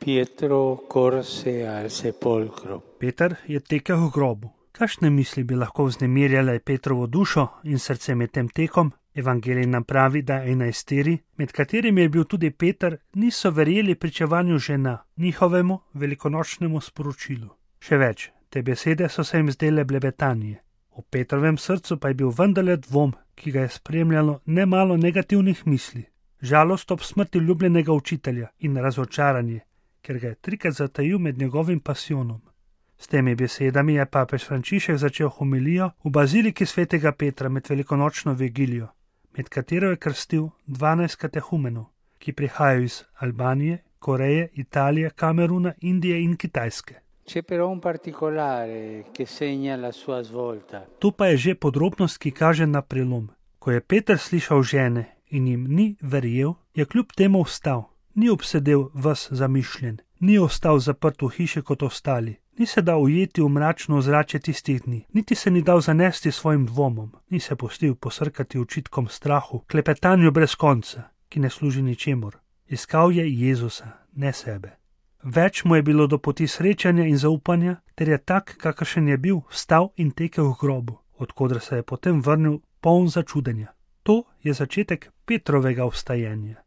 Pietro corse al sepolcro. Peter je tekel v grobu. Kakšne misli bi lahko vznemirjale Petrovo dušo in srce med tem tekom? Evangelij nam pravi, da 11, med katerimi je bil tudi Peter, niso verjeli pričevanju žena, njihovemu velikonočnemu sporočilu. Še več, te besede so se jim zdele blebetanje. V Petrovem srcu pa je bil vendarle dvom, ki ga je spremljalo nemalo negativnih misli. Žalost ob smrti ljubljenega učitelja in razočaranje, ker ga je 3krat zatajil med njegovim pasijonom. S temi besedami je papež Frančišek začel homilijo v baziliki svetega Petra med velikonočno vigilijo, med katero je krstil 12 katehumenov, ki prihajajo iz Albanije, Koreje, Italije, Kameruna, Indije in Kitajske. C'è però un particolare che segna la sua svolta. Tu pa je že podrobnost, ki kaže na prelom. Ko je Peter slišal žene in jim ni verjel, je kljub temu vstal. Ni obsedel ves zamišljen, ni ostal zaprt v hiši kot ostali, ni se dal ujeti v mračno ozračje tistih dni, niti se ni dal zanesti svojim dvomom, ni se pustil posrkati očitkom strahu, klepetanju brez konca, ki ne služi ničemur. Iskal je Jezusa, ne sebe. Več mu je bilo do poti srečanja in zaupanja, ter je tak, kakršen je bil, vstal in tekel v grobu, odkudar se je potem vrnil poln začudenja. To je začetek Petrovega vstajenja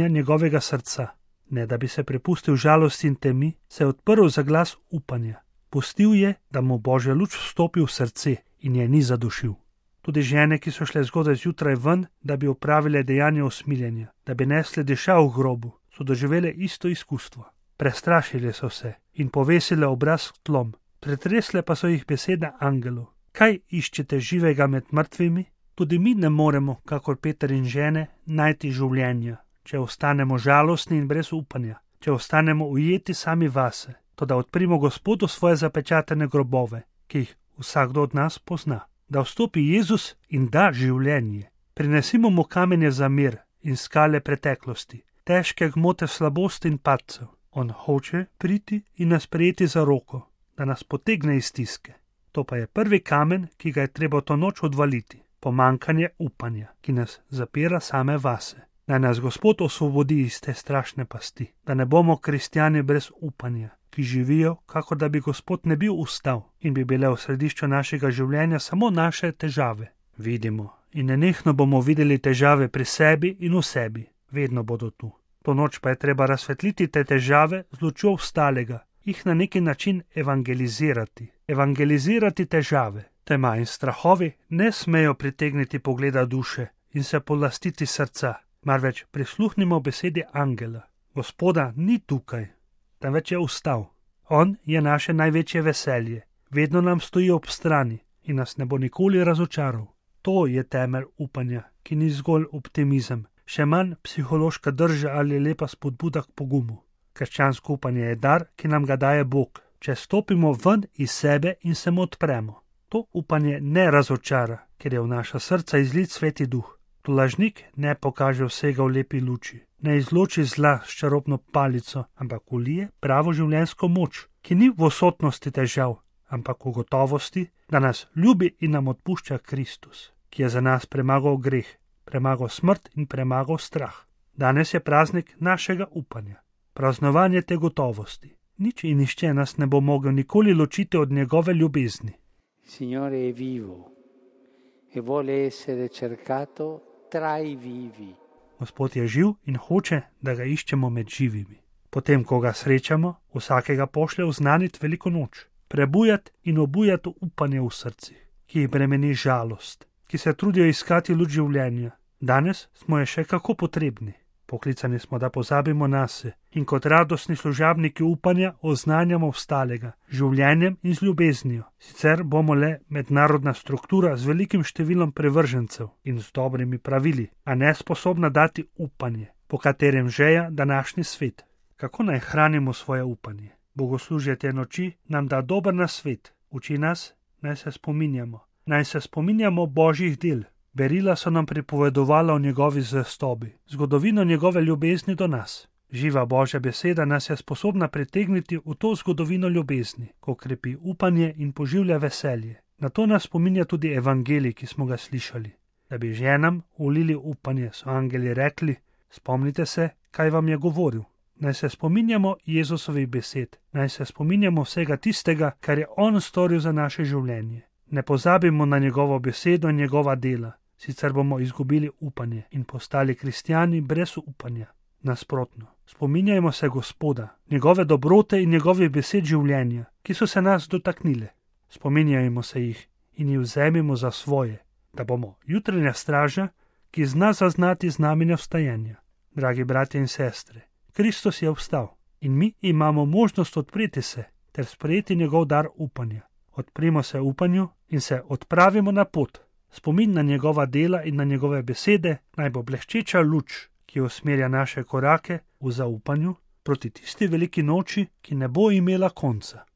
njegovega srca. Ne da bi se prepustil žalosti in temi, se je odprl za glas upanja. Pustil je, da mu Božja luč vstopi v srce in je ni zadušil. Tudi žene, ki so šle zgodaj zjutraj ven, da bi opravile dejanje usmiljenja, da bi nesle diša v grobu, so doživele isto izkustvo. Prestrašile so se in povesile obraz k tlom, pretresle pa so jih besede angelov. Kaj iščete živega med mrtvimi? Tudi mi ne moremo, kakor Peter in žene, najti življenja, če ostanemo žalostni in brez upanja, če ostanemo ujeti sami vase, toda odprimo Gospodu svoje zapečatene grobove, ki jih vsakdo od nas pozna. Da vstopi Jezus in da življenje. Prinesimo mu kamenje za mir in skale preteklosti, težke gmote slabosti in padcev. On hoče priti in nas prijeti za roko, da nas potegne iz stiske. To pa je prvi kamen, ki ga je treba to noč odvaliti. Pomankanje upanja, ki nas zapira same vase. Naj nas Gospod osvobodi iz te strašne pasti, da ne bomo kristjani brez upanja, ki živijo, kakor da bi Gospod ne bil ustal in bi bile v središču našega življenja samo naše težave. Vidimo in nenehno bomo videli težave pri sebi in v sebi, vedno bodo tu. To noč pa je treba razsvetliti te težave z lučjo vstalega, jih na neki način evangelizirati težave. Tema in strahovi ne smejo pritegniti pogleda duše in se polastiti srca, marveč prisluhnimo besedi angela. Gospoda ni tukaj, temveč je vstal. On je naše največje veselje, vedno nam stoji ob strani in nas ne bo nikoli razočaral. To je temelj upanja, ki ni zgolj optimizem, še manj psihološka drža ali lepa spodbuda k pogumu. Krščansko upanje je dar, ki nam ga daje Bog, če stopimo ven iz sebe in se mu odpremo. To upanje ne razočara, ker je v naša srca izlit Sveti Duh. Lažnik ne pokaže vsega v lepi luči, ne izloči zla s čarobno palico, ampak vlije pravo življenjsko moč, ki ni v odsotnosti težav, ampak v gotovosti, da nas ljubi in nam odpušča Kristus, ki je za nas premagal greh, premagal smrt in premagal strah. Danes je praznik našega upanja, praznovanje te gotovosti. Nič in nišče nas ne bo mogel nikoli ločiti od njegove ljubezni. Signore è vivo e vuole essere cercato tra i vivi. Gospod je živ in hoče, da ga iščemo med živimi. Potem, ko ga srečamo, vsakega pošlje oznaniti veliko noč, prebujati in obujati upanje v srcih, ki jih bremeni žalost, ki se trudijo iskati luč življenja. Danes smo je še kako potrebni. Poklicani smo, da pozabimo nase in kot radostni služabniki upanja oznanjamo vstalega, življenjem in z ljubeznijo. Sicer bomo le mednarodna struktura z velikim številom privržencev in z dobrimi pravili, a ne sposobna dati upanje, po katerem žeja današnji svet. Kako naj hranimo svoje upanje? Bogoslužje te noči nam da dober nasvet, uči nas, naj se spominjamo Božjih del. Berila so nam pripovedovala o njegovi zvestobi, zgodovino njegove ljubezni do nas. Živa Božja beseda nas je sposobna pritegniti v to zgodovino ljubezni, ko krepi upanje in poživlja veselje. Na to nas spominja tudi evangelij, ki smo ga slišali. Da bi ženam ulili upanje, so angeli rekli, spomnite se, kaj vam je govoril. Naj se spominjamo Jezusovih besed, naj se spominjamo vsega tistega, kar je on storil za naše življenje. Ne pozabimo na njegovo besedo in njegova dela, sicer bomo izgubili upanje in postali kristjani brez upanja. Nasprotno, spominjajmo se Gospoda, njegove dobrote in njegovih besed življenja, ki so se nas dotaknile. Spominjajmo se jih in jih vzemimo za svoje, da bomo jutranja straža, ki zna zaznati znamenja vstajenja. Dragi bratje in sestre, Kristus je vstal in mi imamo možnost odpreti se ter sprejeti njegov dar upanja. Odprimo se upanju in se odpravimo na pot. Spomin na njegova dela in na njegove besede naj bo bleščeča luč, ki usmerja naše korake v zaupanju proti tisti veliki noči, ki ne bo imela konca.